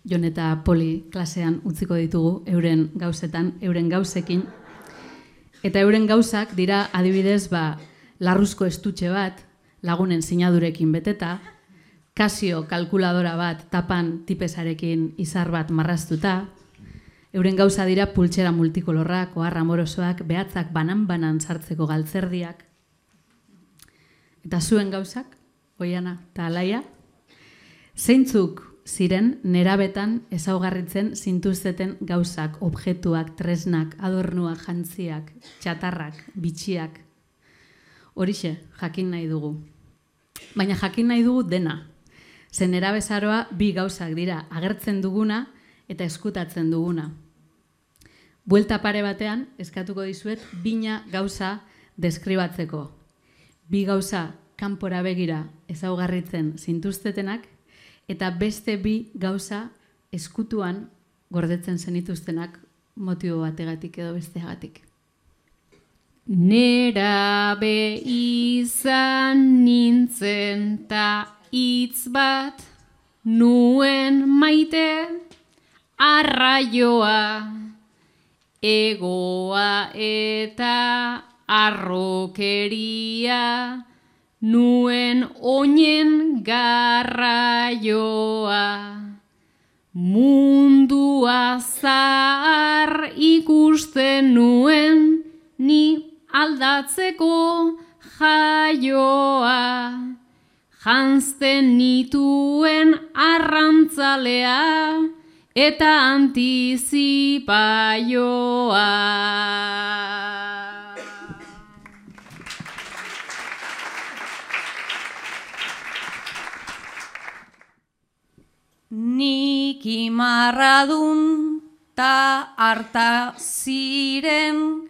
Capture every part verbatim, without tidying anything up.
Jon eta Poli klasean utziko ditugu euren gauzetan, euren gauzekin. Eta euren gauzak dira adibidez ba, larruzko estutxe bat, lagunen sinadurekin beteta, Casio kalkuladora bat tapan tipesarekin izar bat marraztuta, euren gauza dira pultsera multikolorrak, oharra amorosoak, behatzak banan-banan sartzeko galtzerdiak. Eta zuen gauzak, Oiana eta Alaia, zeintzuk ziren nerabetan ezaugarritzen zintuzteten gauzak, objektuak, tresnak, adornuak, jantziak, txatarrak, bitxiak. Horixe, jakin nahi dugu. Baina jakin nahi dugu dena. Zen nerabezaroa bi gauzak dira, agertzen duguna eta eskutatzen duguna. Buelta pare batean, eskatuko dizuet, bina gauza deskribatzeko. Bi gauza kanpora begira ezaugarritzen zintuztetenak, eta beste bi gauza eskutuan gordetzen zenituztenak motibo bategatik edo besteagatik. Nerabe izan nintzen ta hitz bat nuen maite arraioa, egoa eta arrokeria, nuen oinen garraioa. Mundua zahar ikusten nuen, ni aldatzeko jaioa. Janzten nituen arrantzalea eta antizipaioa. Nik imarradun ta harta ziren,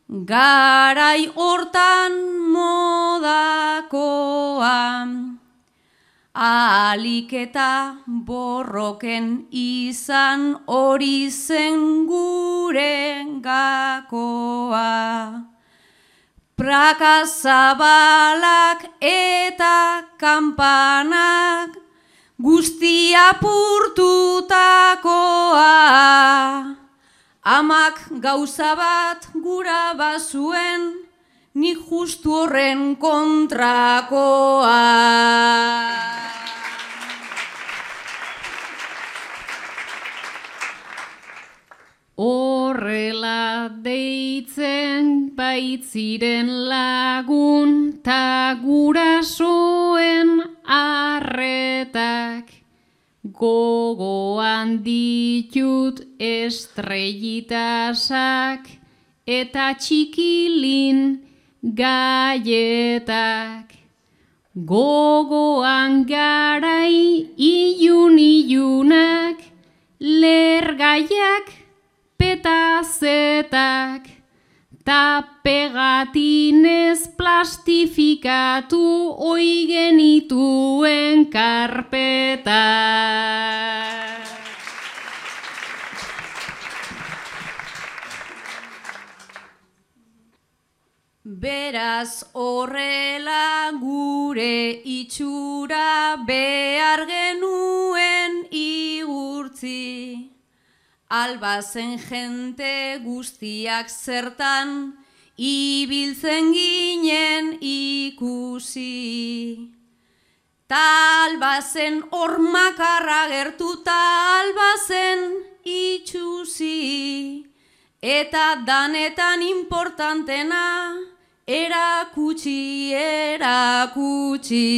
garai hortan modakoa. Ahalik eta borroken izan hori zen gure gakoa. Praka zabalak eta kanpanak guztia purtutakoa. Amak gauza bat gura bazuen, ni justu horren kontrakoa. Horrela deitzen baitziren lagun ta gurasoen arretak. Gogoan ditut estrellitasak eta txikilin gaietak. Gogoan garai ilun-ilunak, lergaiak petazetak, ta pegatinez plastifikatu oi genituen karpetak. Beraz horrela gure itxura behar genuen igurtzi. Albazen jente guztiak zertan, ibiltzen ginen ikusi. Ta albazen hormakarra gertu ta albazen itxusi. Eta danetan importantena, erakutsi, erakutsi.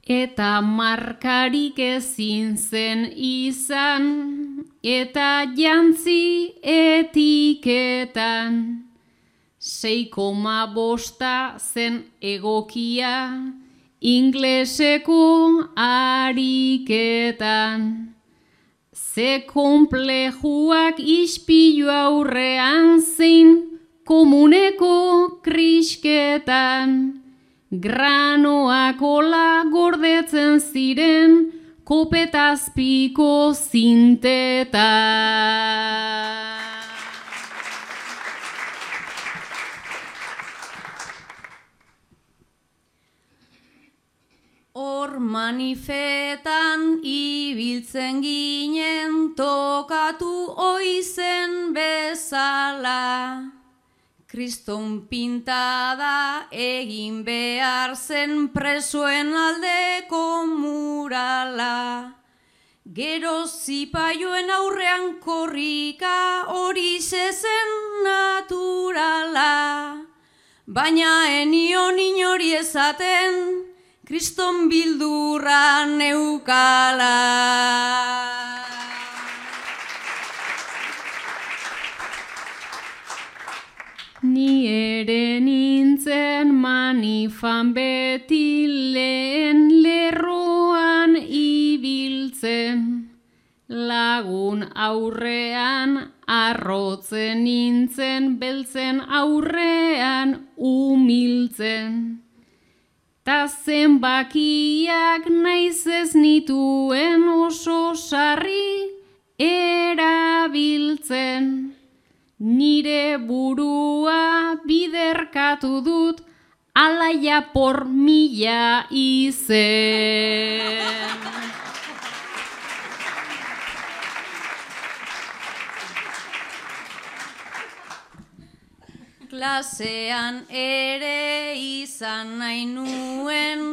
Eta markarik ezin zen izan, eta jantzi etiketan. Sei koma bosta zen egokia, ingleseko ariketan. Ze konplejuak ispilu aurrean zein komuneko krisketan. Granoak ola gordetzen ziren kopetazpiko zintetan. hor manifetan ibiltzen ginen tokatu oizen bezala. Kriston pintada egin behar zen presoen aldeko murala. Gero zipaioen aurrean korrika hori zen naturala. Baina enion inori ezaten Kriston bildurra neukala. Ni ere nintzen manifan beti lehen lerroan ibiltzen, lagun aurrean arrotzen nintzen, beltzen aurrean umiltzen. Ta zenbakiak naiz ez nituen oso sarri erabiltzen. Nire burua biderkatu dut alaia por mila izen. Klasean ere izan nahi nuen,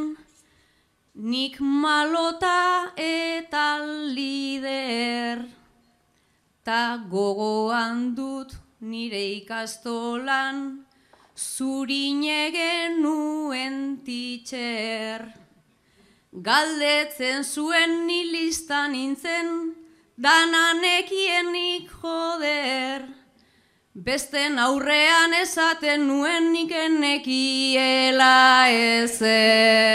nik malota eta lider. Ta gogoan dut nire ikastolan, zurine genuen teacher. Galdetzen zuen ni listan nintzen, dananekienik joder. Besten aurrean esaten nuen nik enekiela ezer.